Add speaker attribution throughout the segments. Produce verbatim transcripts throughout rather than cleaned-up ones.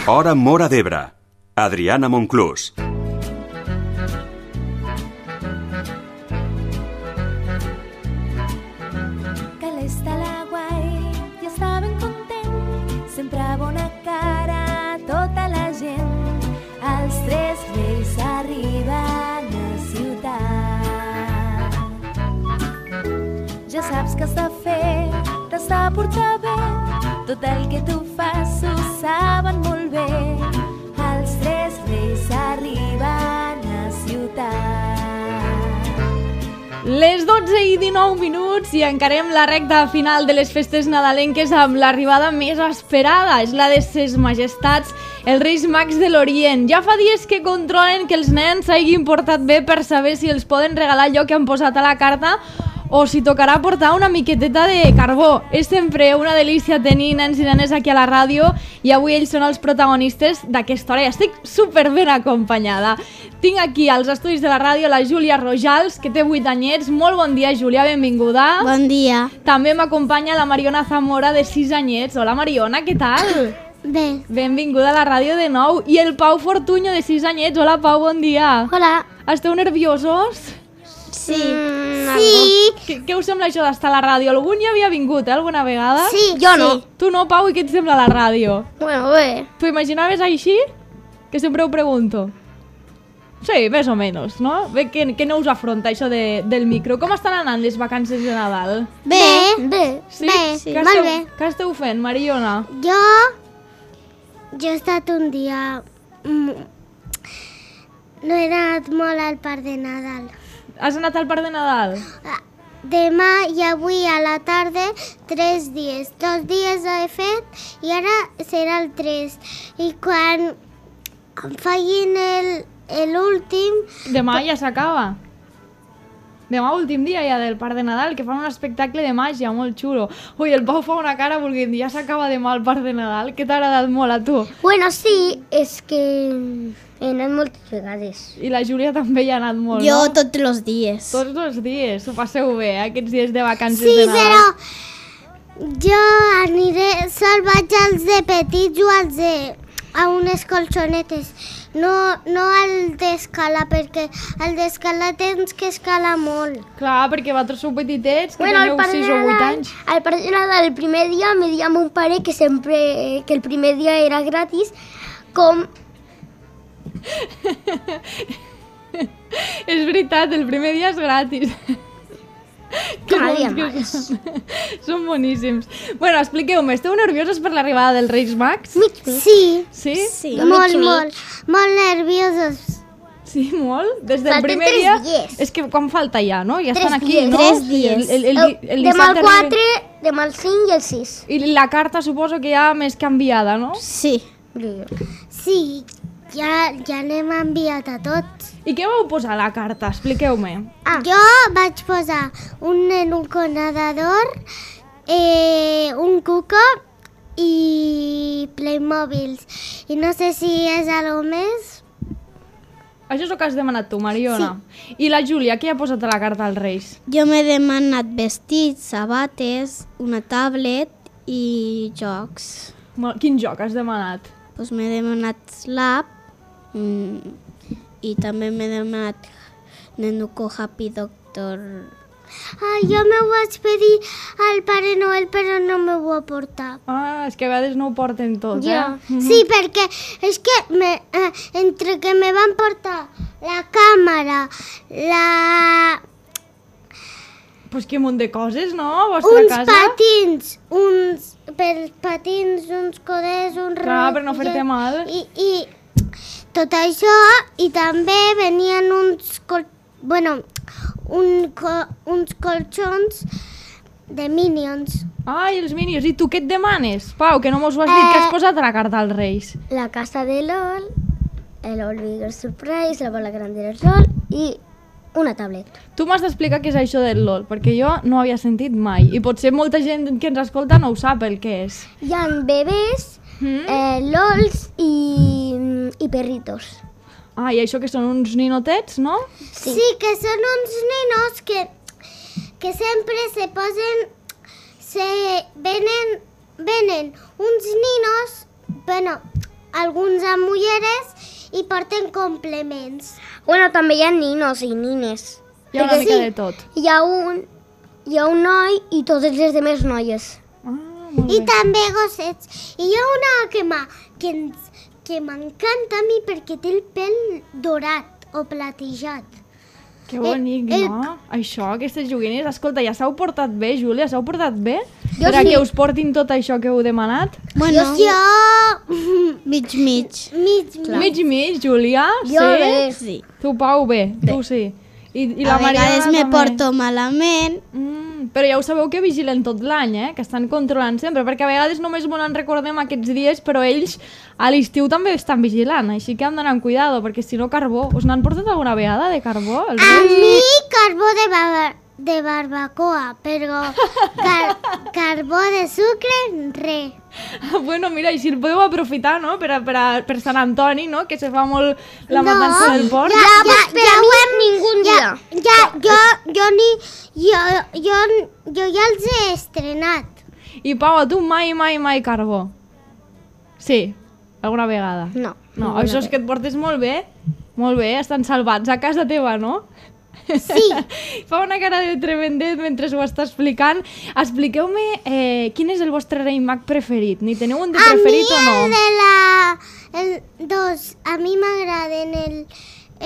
Speaker 1: Hora Móra d'Ebre. Adriana Monclús.
Speaker 2: Sempre bona cara tota la gent. Els tres reis arriben a ciutat. Ja saps que has de fer, t'has de portar bé. Tot el que tu fas ho saben molt bé. Els tres reis arriben a ciutat.
Speaker 3: Les dotze i dinou minuts i encarem la recta final de les festes nadalenques amb l'arribada més esperada. És la de ses majestats, els Reis Mags de l'Orient. Ja fa dies que controlen que els nens s'hagin portat bé per saber si els poden regalar allò que han posat a la carta o si tocarà portar una miqueteta de carbó. És sempre una delícia tenir nens i nenes aquí a la ràdio i avui ells són els protagonistes d'aquesta hora i estic super ben acompanyada. Tinc aquí als estudis de la ràdio la Júlia Rojals, que té vuit anyets. Molt bon dia, Júlia, benvinguda.
Speaker 4: Bon dia.
Speaker 3: També m'acompanya la Mariona Zamora, de sis anyets. Hola, Mariona, què tal?
Speaker 4: Bé.
Speaker 3: Benvinguda a la ràdio de nou. I el Pau Fortuño, de sis anyets. Hola, Pau, bon dia.
Speaker 4: Hola.
Speaker 3: Esteu nerviosos?
Speaker 4: Sí. Mm, sí.
Speaker 3: Què, què us sembla això d'estar a la ràdio? Algun hi havia vingut, eh, alguna vegada?
Speaker 4: Sí, jo no.
Speaker 3: Sí. Tu no, Pau, i què et sembla la ràdio?
Speaker 4: Bueno, bé.
Speaker 3: T'ho imaginaves així? Que sempre ho pregunto. Sí, més o menys, no? Bé, que, que no us afronta això de, del micro. Com estan anant les vacances de Nadal?
Speaker 4: Bé. Bé.
Speaker 3: Sí?
Speaker 4: Bé, sí.
Speaker 3: Què
Speaker 4: Molt
Speaker 3: esteu,
Speaker 4: bé.
Speaker 3: Què esteu fent, Mariona?
Speaker 4: Jo... Jo he estat un dia... No he anat molt al parc de Nadal.
Speaker 3: Has anat al parc de Nadal?
Speaker 4: Demà i avui a la tarda, tres dies. Dos dies he fet i ara serà el tres. I quan em facin l'últim...
Speaker 3: Demà ja s'acaba. Demà últim dia ja del parc de Nadal, que fan un espectacle de màgia molt xulo. Ui, el Pau fa una cara volent dir, ja s'acaba demà el parc de Nadal, que t'ha agradat molt a tu.
Speaker 4: Bueno, sí, és que he anat moltes vegades.
Speaker 3: I la Júlia també hi ha anat molt,
Speaker 4: jo
Speaker 3: no?
Speaker 4: tots els dies.
Speaker 3: Tots els dies, ho passeu bé, eh? Aquests dies de vacances
Speaker 4: sí,
Speaker 3: de Nadal.
Speaker 4: Sí, però jo aniré, sol vaig als de petits o als de... a unes colxonetes. No, no al d'escala, perquè al d'escala tens que escalar molt.
Speaker 3: Clar, perquè vosaltres sou petitets, que
Speaker 4: bueno,
Speaker 3: teniu sis o vuit anys.
Speaker 4: Al parc de Nadal, el primer dia me dia mon pare que sempre, que el primer dia era gratis, com...
Speaker 3: És veritat, el primer dia és gratis.
Speaker 4: Cada dia més.
Speaker 3: Són boníssims. Bueno, expliqueu-me, esteu nerviosos per l'arribada dels Reis Mags?
Speaker 4: Sí.
Speaker 3: Sí?
Speaker 4: Sí. Molt, molt, molt nerviosos.
Speaker 3: Sí, molt? Des del
Speaker 4: Falten
Speaker 3: primer
Speaker 4: tres
Speaker 3: dia...
Speaker 4: dies.
Speaker 3: És que quan falta ja, no? Ja
Speaker 4: Tres
Speaker 3: estan aquí,
Speaker 4: dies.
Speaker 3: no?
Speaker 4: Tres dies.
Speaker 3: El, el, el, el, el
Speaker 4: demà el
Speaker 3: dissabte
Speaker 4: quatre,
Speaker 3: arriben-
Speaker 4: demà el cinc i el sis.
Speaker 3: I la carta suposo que ja més canviada, no?
Speaker 4: Sí. Sí, ja, ja n'hem enviat a tots.
Speaker 3: I què vau posar a la carta? Expliqueu-me.
Speaker 4: Ah. Jo vaig posar un nen, un conadador, eh, un cuco i Playmobils. I no sé si és algo més.
Speaker 3: Això és el que has demanat tu, Mariona. Sí. I la Júlia, què ha posat a la carta als Reis?
Speaker 5: Jo m'he demanat vestits, sabates, una tablet i jocs.
Speaker 3: Quin joc has demanat?
Speaker 5: Pues m'he demanat Slap mm, i també m'he demanat Nenuco Happy Doctor.
Speaker 4: Ah, jo me ho vaig pedir al Pare Noel, però no me ho va portar.
Speaker 3: Ah, és que a vegades no ho porten tots,
Speaker 4: ja.
Speaker 3: eh?
Speaker 4: Sí, perquè és que me, eh, entre que me van portar la càmera, la...
Speaker 3: Pues que munt de coses, no? A vostra
Speaker 4: uns
Speaker 3: casa?
Speaker 4: patins, uns per patins, uns coders, un
Speaker 3: Clar, per no fer-te mal.
Speaker 4: I, I tot això, i també venien uns... Col... Bueno, un, co... uns colxons de Minions.
Speaker 3: Ai, els Minions. I tu què et demanes? Pau, que no mos ho has dit.
Speaker 4: Eh...
Speaker 3: Què has posat a la carta als Reis?
Speaker 4: La casa de LOL, el All Bigger Surprise, la bola grande del LOL i una tablet.
Speaker 3: Tu m'has d'explicar què és això del LOL, perquè jo no havia sentit mai. I potser molta gent que ens escolta no ho sap el que és.
Speaker 4: Hi ha bebès,
Speaker 3: Mm?
Speaker 4: eh, LOLs i, i perritos.
Speaker 3: Ah, i això que són uns ninotets, no?
Speaker 4: Sí, sí que són uns ninos que, que sempre se posen... Se venen, venen uns ninos... Bueno, alguns amb ulleres i porten complements.
Speaker 6: Bueno, també hi ha ninos i nines.
Speaker 3: Hi ha una
Speaker 6: Perquè
Speaker 3: mica
Speaker 6: sí,
Speaker 3: de tot.
Speaker 6: Hi ha un, hi ha un noi i totes les demés noies.
Speaker 3: Ah, molt
Speaker 4: I
Speaker 3: bé.
Speaker 4: també gossets. I hi ha una que m'ha- que ens- que m'encanta a mi perquè té el pèl dorat o platejat.
Speaker 3: Que bonic,
Speaker 4: eh,
Speaker 3: no? Això, aquestes joguines. Escolta, ja s'heu portat bé, Júlia? S'heu portat bé?
Speaker 6: Jo
Speaker 3: per a
Speaker 6: sí.
Speaker 3: que us portin tot això que heu demanat?
Speaker 5: Bueno,
Speaker 4: Jo...
Speaker 5: mig, mig.
Speaker 4: mig,
Speaker 3: Mig i mig, Júlia?
Speaker 6: Jo
Speaker 3: sí?
Speaker 6: bé.
Speaker 5: Sí.
Speaker 3: Tu, Pau, bé. Tu sí. I, i la
Speaker 5: A vegades
Speaker 3: Mariana
Speaker 5: me
Speaker 3: també.
Speaker 5: porto malament.
Speaker 3: Mm, però ja ho sabeu que vigilen tot l'any, eh? Que estan controlant sempre, perquè a vegades només molt en recordem aquests dies, però ells a l'estiu també estan vigilant, així que hem d'anar amb cuidado, perquè si no carbó... Us n'han portat alguna vegada de carbó? Els
Speaker 4: A
Speaker 3: Reis?
Speaker 4: mi carbó de, bar de barbacoa, però car carbó de sucre, re.
Speaker 3: Bueno, mira, així el podeu aprofitar, no?, per, a, per, a, per Sant Antoni, no?, que se fa molt la matança del porc.
Speaker 4: Ja, ja, ja,
Speaker 6: ho
Speaker 4: ho
Speaker 6: hem ningun
Speaker 4: ja,
Speaker 6: dia.
Speaker 4: ja, jo, jo ni... Jo, jo, jo ja els he estrenat.
Speaker 3: I Pau, a tu mai, mai, mai carbó? Sí, alguna vegada.
Speaker 6: No.
Speaker 3: No, això és que et portes molt bé. Molt bé, estan salvats a casa teva, no?
Speaker 4: Sí.
Speaker 3: Fa una cara de tremendet mentre ho està explicant. Expliqueu-me eh, quin és el vostre rei mag preferit. Ni teniu un de
Speaker 4: A mi
Speaker 3: preferit o no?
Speaker 4: el de la... El dos, a mi m'agraden el,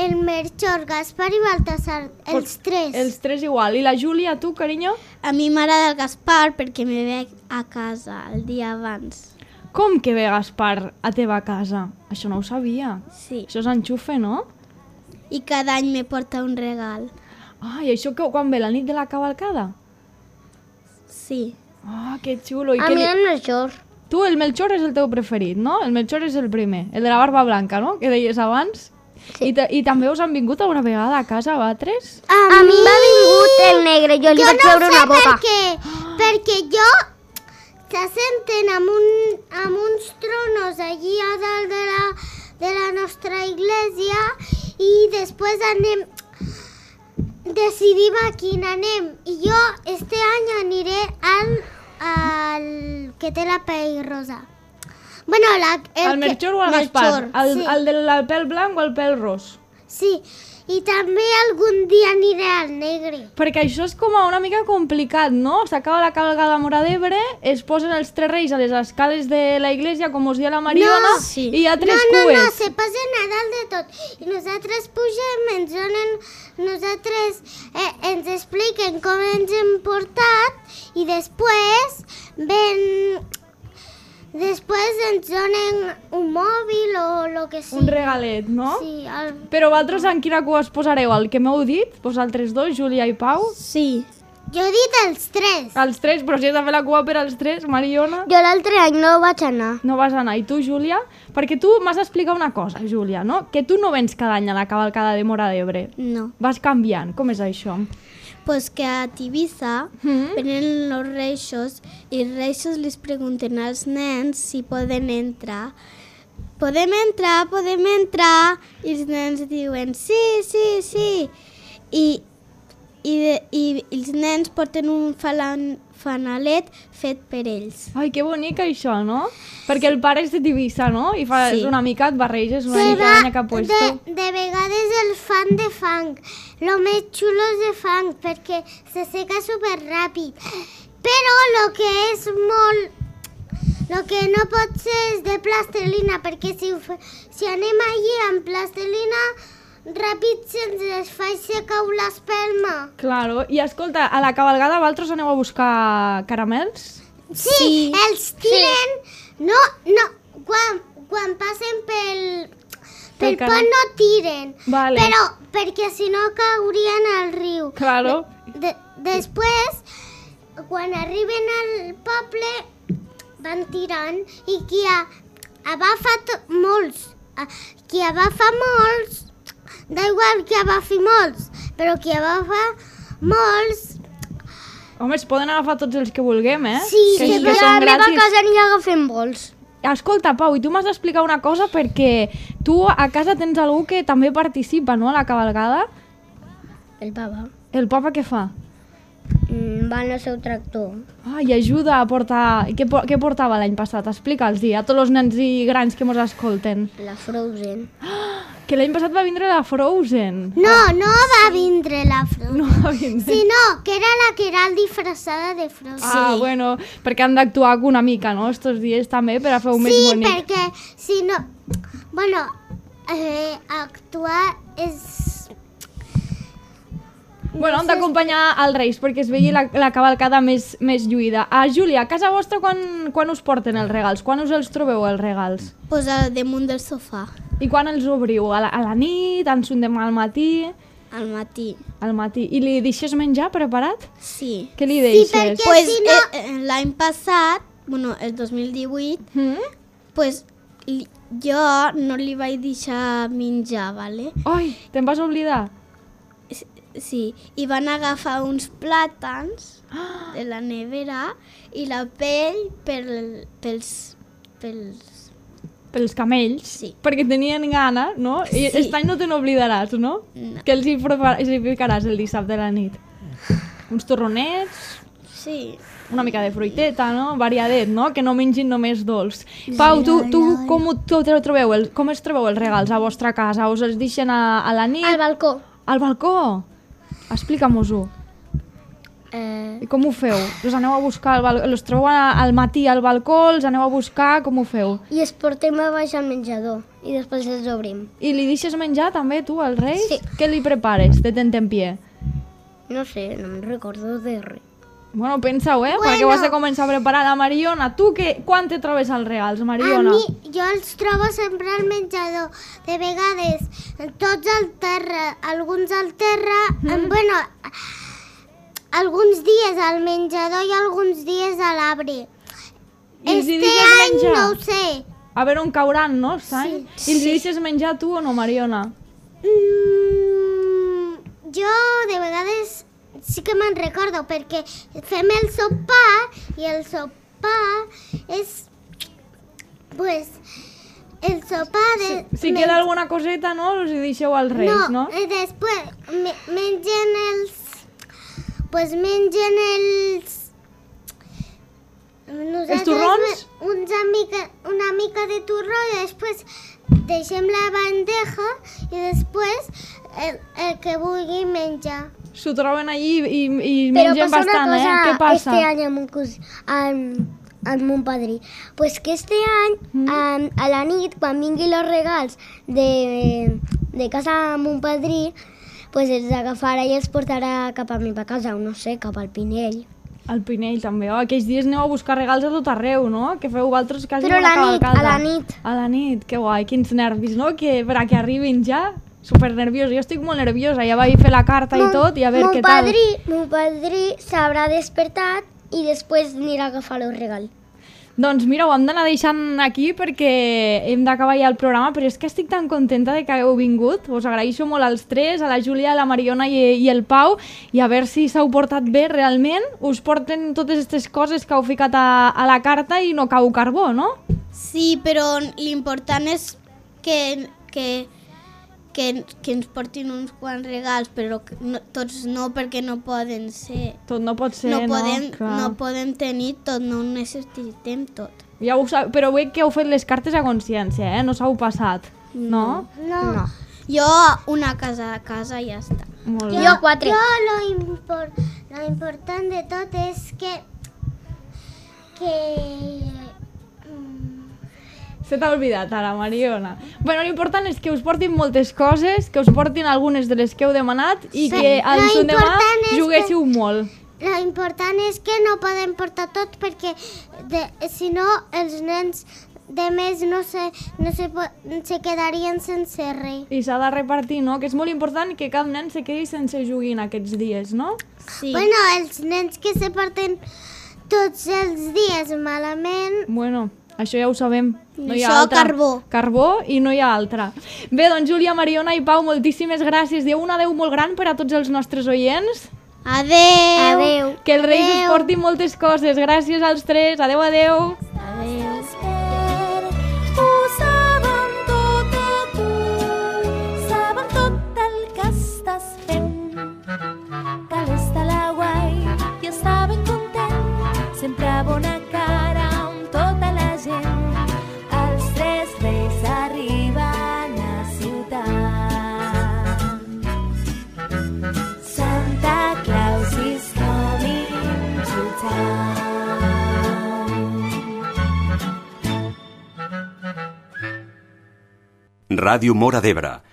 Speaker 4: el Melchor, Gaspar i Baltasar, els tres.
Speaker 3: Els tres igual. I la Júlia, tu, carinyo?
Speaker 5: A mi m'agrada el Gaspar perquè me ve a casa el dia abans.
Speaker 3: Com que ve Gaspar a teva casa? Això no ho sabia.
Speaker 5: Sí.
Speaker 3: Això és enxufe, no?
Speaker 5: I cada any me porta un regal.
Speaker 3: Ah, i això que, quan ve la nit de la cavalcada?
Speaker 5: Sí.
Speaker 3: Ah, que xulo. I
Speaker 6: A
Speaker 3: què
Speaker 6: mi
Speaker 3: li...
Speaker 6: el Melchor.
Speaker 3: Tu, el Melchor és el teu preferit, no? El Melchor és el primer, el de la barba blanca, no?, que deies abans. Sí. I, ta- I també us han vingut alguna vegada a casa, vosaltres?
Speaker 6: A mi m'ha vingut el negre, jo li
Speaker 4: Jo
Speaker 6: vaig
Speaker 4: no
Speaker 6: treure
Speaker 4: sé
Speaker 6: una
Speaker 4: per
Speaker 6: boca.
Speaker 4: què, perquè jo se senten amb, un, amb uns tronos allí a dalt de la, de la nostra església i després anem, decidim a quin anem. I jo este any aniré al, al que té la pell rosa. Bueno, la,
Speaker 3: El,
Speaker 4: el
Speaker 3: Melchor o el
Speaker 4: Melchor,
Speaker 3: Gaspar? El,
Speaker 4: sí.
Speaker 3: el del pèl blanc o el pèl ros?
Speaker 4: Sí, i també algun dia aniré al negre.
Speaker 3: Perquè això és com una mica complicat, no? S'acaba la cavalgada a Móra d'Ebre, es posen els tres reis a les escales de la iglesia, com us dia la Mariona,
Speaker 4: No,
Speaker 5: sí.
Speaker 3: i hi ha tres
Speaker 4: no, no,
Speaker 3: cues.
Speaker 4: no, se passen a dalt de tot. I nosaltres pugem, ens donen, nosaltres eh, ens expliquen com ens hem portat i després ven... Després ens donen un mòbil o el que sigui.
Speaker 3: Un regalet, no?
Speaker 4: Sí, el...
Speaker 3: Però vosaltres en quina cua es posareu? El que m'heu dit? Vosaltres dos, Júlia i Pau?
Speaker 5: Sí.
Speaker 4: Jo he dit els tres.
Speaker 3: Els tres, però si has de fer la cua per als tres, Mariona,
Speaker 6: Jo l'altre any no vaig anar.
Speaker 3: no vas anar. I tu, Júlia? Perquè tu m'has d'explicar una cosa, Júlia, no? Que tu no vens cada any a la cavalcada de Móra d'Ebre.
Speaker 5: No.
Speaker 3: Vas canviant. Com és això?
Speaker 5: Pues que a Tivissa
Speaker 3: Mm.
Speaker 5: venen los reixos i els reixos les pregunten als nens si poden entrar. Podem entrar, podem entrar. I els nens diuen sí, sí, sí. I, i, de, i els nens porten un falan, fanalet fet per ells.
Speaker 3: Ai, que bonic això, no? Perquè el pare és de Tivissa, no? I fa
Speaker 5: Sí.
Speaker 3: una mica et barreges una
Speaker 4: Se
Speaker 3: mica
Speaker 4: va-
Speaker 3: l'any que ha puesto.
Speaker 4: de, de vegades el fan de fang. Lo més xulo és de fang perquè se seca super ràpid. Però lo que és molt... Lo que no pot ser és de plastelina, perquè si, ho fe- si anem allí amb plastelina, ràpid se'ns desfà i se cau l'espelma.
Speaker 3: Claro. I escolta, a la cavalgada vosaltres aneu a buscar caramels?
Speaker 4: Sí,
Speaker 5: Sí.
Speaker 4: els tiren... No, no, quan, quan passen pel,
Speaker 3: Pel
Speaker 4: pel
Speaker 3: canal.
Speaker 4: pont no tiren.
Speaker 3: Vale.
Speaker 4: Però perquè si no caurien al riu.
Speaker 3: Claro.
Speaker 4: De, després, quan arriben al poble, van tirant i qui ha, agafa to- molts. a- Qui agafa molts, da igual qui agafi molts, però qui agafa molts,
Speaker 3: Home, es poden agafar tots els que vulguem, eh?
Speaker 4: Sí,
Speaker 3: que,
Speaker 4: sí,
Speaker 3: que
Speaker 4: però
Speaker 6: A
Speaker 3: són
Speaker 6: la meva
Speaker 3: gratis.
Speaker 6: casa n'hi agafem vols.
Speaker 3: Escolta, Pau, i tu m'has d'explicar una cosa perquè tu a casa tens algú que també participa, no?, a la cavalgada.
Speaker 6: El papa.
Speaker 3: El papa què fa?
Speaker 6: mm, va en el seu tractor.
Speaker 3: Ah, i ajuda a portar... Què, po- què portava l'any passat? Explica'ls a tots els nens i grans que mos escolten.
Speaker 6: La Frozen.
Speaker 3: Que l'any passat va vindre la Frozen.
Speaker 4: No, no va vindre la Frozen.
Speaker 3: No va vindre.
Speaker 4: Sinó que era la que era disfressada de Frozen.
Speaker 3: Ah, bueno, perquè han d'actuar una mica, no?, estos dies també, per a fer-ho més
Speaker 4: Sí,
Speaker 3: bonic.
Speaker 4: perquè si no... Bueno, eh, actuar és...
Speaker 3: Bueno, hem d'acompanyar als Reis perquè es vegi la, la cavalcada més, més lluïda. Ah, Júlia, a casa vostra quan, quan us porten els regals? Quan us els trobeu, els regals?
Speaker 5: Pues al damunt del sofà,
Speaker 3: I quan els obriu? A la, a la nit? En son demà al matí?
Speaker 5: al matí.
Speaker 3: Al matí. I li deixes menjar preparat?
Speaker 5: Sí.
Speaker 3: Què li
Speaker 4: Sí,
Speaker 3: deixes?
Speaker 4: perquè
Speaker 5: Pues
Speaker 4: si no...
Speaker 5: eh, eh, l'any passat, bueno, el dos mil divuit,
Speaker 3: Mm?
Speaker 5: pues li, jo no li vaig deixar menjar, ¿vale?
Speaker 3: Ai, te'n vas oblidar?
Speaker 5: Sí, i van agafar uns plàtans de la nevera i la pell pel, pels, pels...
Speaker 3: Pels camells?
Speaker 5: Sí.
Speaker 3: Perquè tenien gana, no? I
Speaker 5: Sí.
Speaker 3: aquest any no te n'oblidaràs, no?
Speaker 5: No.
Speaker 3: Que els hi, prepar- els hi ficaràs el dissabte a la nit. Uns torronets,
Speaker 5: Sí.
Speaker 3: una mica de fruiteta, no? Variadet, no? Que no mengin només dolç. Pau, tu, tu com, ho, tu te trobeu, el, com es trobeu els regals a vostra casa? Us els deixen a, a la nit?
Speaker 6: Al balcó.
Speaker 3: Al balcó? Explica-mos-ho.
Speaker 6: Eh,
Speaker 3: I com ho feu? Els aneu a buscar, al bal... els trobeu a- al matí al balcó, els aneu a buscar, com ho feu?
Speaker 6: I els portem a baix al menjador i després els obrim.
Speaker 3: I li deixes menjar també, tu, als Reis?
Speaker 6: Sí.
Speaker 3: Què li prepares de tentempié?
Speaker 6: No sé, no me'n recordo de res.
Speaker 3: Bueno, pensa-ho, eh? Perquè ho has de començar a preparar. La Mariona, tu que, quan te trobes als regals,
Speaker 4: A
Speaker 3: Mariona?
Speaker 4: mi, jo els trobo sempre al menjador. De vegades, tots al terra, alguns al terra, mm. bueno, alguns dies al menjador i alguns dies a l'arbre.
Speaker 3: I els hi
Speaker 4: Este
Speaker 3: deixes
Speaker 4: any
Speaker 3: menjar?
Speaker 4: no ho sé.
Speaker 3: A veure on cauran, no? Sí. I els hi deixes menjar tu o no, Mariona?
Speaker 4: Mm, jo de vegades sí que me'n recordo perquè fem el sopar i el sopar és pues el sopar de,
Speaker 3: Si queda alguna coseta, no? Els hi deixeu als Reis, no?
Speaker 4: no, eh, després me, mengen els pues mengen els nosaltres
Speaker 3: torrons?
Speaker 4: me- Uns mica, una mica de torró i després deixem la bandeja i després el, el que vulgui menjar.
Speaker 3: S'ho troben allí i, i
Speaker 6: Però
Speaker 3: mengen
Speaker 6: passa
Speaker 3: bastant,
Speaker 6: una cosa
Speaker 3: eh? Què passa?
Speaker 6: este any amb, un cos, amb, amb mon padrí. Pues que este any,
Speaker 3: Mm.
Speaker 6: um, a la nit, quan vinguin els regals de, de casa amb mon padrí, pues els agafarà i els portarà cap a mi a casa, o no sé, cap al Pinell.
Speaker 3: Al Pinell també, oh, aquells dies aneu a buscar regals a tot arreu, no? Que feu vosaltres quasi
Speaker 6: Però a
Speaker 3: una
Speaker 6: la nit,
Speaker 3: cavalcada.
Speaker 6: a la nit.
Speaker 3: A la nit, que guai, quins nervis, no? Que per a que arribin ja, super nerviosa. Jo estic molt nerviosa, ja vaig fer la carta i tot, i a veure
Speaker 6: mon
Speaker 3: què tal.
Speaker 6: padrí, mon padrí s'haurà despertat i després anirà a agafar el regal.
Speaker 3: Doncs mira, ho hem d'anar deixant aquí perquè hem d'acabar ja el programa, però és que estic tan contenta de que hagueu vingut. Us agraeixo molt als tres, a la Júlia, a la Mariona i, i el Pau, i a veure si s'heu portat bé realment. Us porten totes aquestes coses que heu ficat a, a la carta i no cau carbó, no?
Speaker 5: Sí, però l'important és que, que, que, que ens portin uns quants regals, però que no, tots no, perquè no poden ser.
Speaker 3: Tot no pot ser,
Speaker 5: no,
Speaker 3: no?
Speaker 5: podem,
Speaker 3: Clar.
Speaker 5: no podem tenir tot, no ho necessitem tot.
Speaker 3: Ja ho sab... Però veig que heu fet les cartes a consciència, eh? No s'heu passat, no?
Speaker 4: No.
Speaker 6: No.
Speaker 5: Jo una casa a casa i ja està.
Speaker 3: Molt bé.
Speaker 6: Jo quatre.
Speaker 4: Jo lo, impor, lo important de tot és que que mm,
Speaker 3: Se t'ha oblidat ara, Mariona. Bueno, l'important és que us portin moltes coses, que us portin algunes de les que heu demanat i
Speaker 4: Sí,
Speaker 3: que al
Speaker 4: lo
Speaker 3: son demà
Speaker 4: important és
Speaker 3: juguéssiu molt.
Speaker 4: lo important és que no podem portar tot perquè de, si no els nens de més no se, no se, po- se quedarien sense res.
Speaker 3: I s'ha de repartir, no? Que és molt important que cap nen se quedi sense joguin aquests dies, no?
Speaker 5: Sí.
Speaker 4: Bueno, els nens que se porten tots els dies malament,
Speaker 3: Bueno, això ja ho sabem. No hi ha
Speaker 5: Això,
Speaker 3: altra.
Speaker 5: carbó.
Speaker 3: Carbó i no hi ha altra. Bé, doncs Júlia, Mariona i Pau, moltíssimes gràcies. Dieu un adeu molt gran per a tots els nostres oients.
Speaker 5: Adeu!
Speaker 6: Adeu.
Speaker 3: Que els Reis us
Speaker 4: Adeu.
Speaker 3: portin moltes coses. Gràcies als tres. Adeu, adeu.
Speaker 2: Ho saben tot de tu, saben tot el que estàs fent. Que l'és de la guai i
Speaker 1: Ràdio Móra d'Ebre,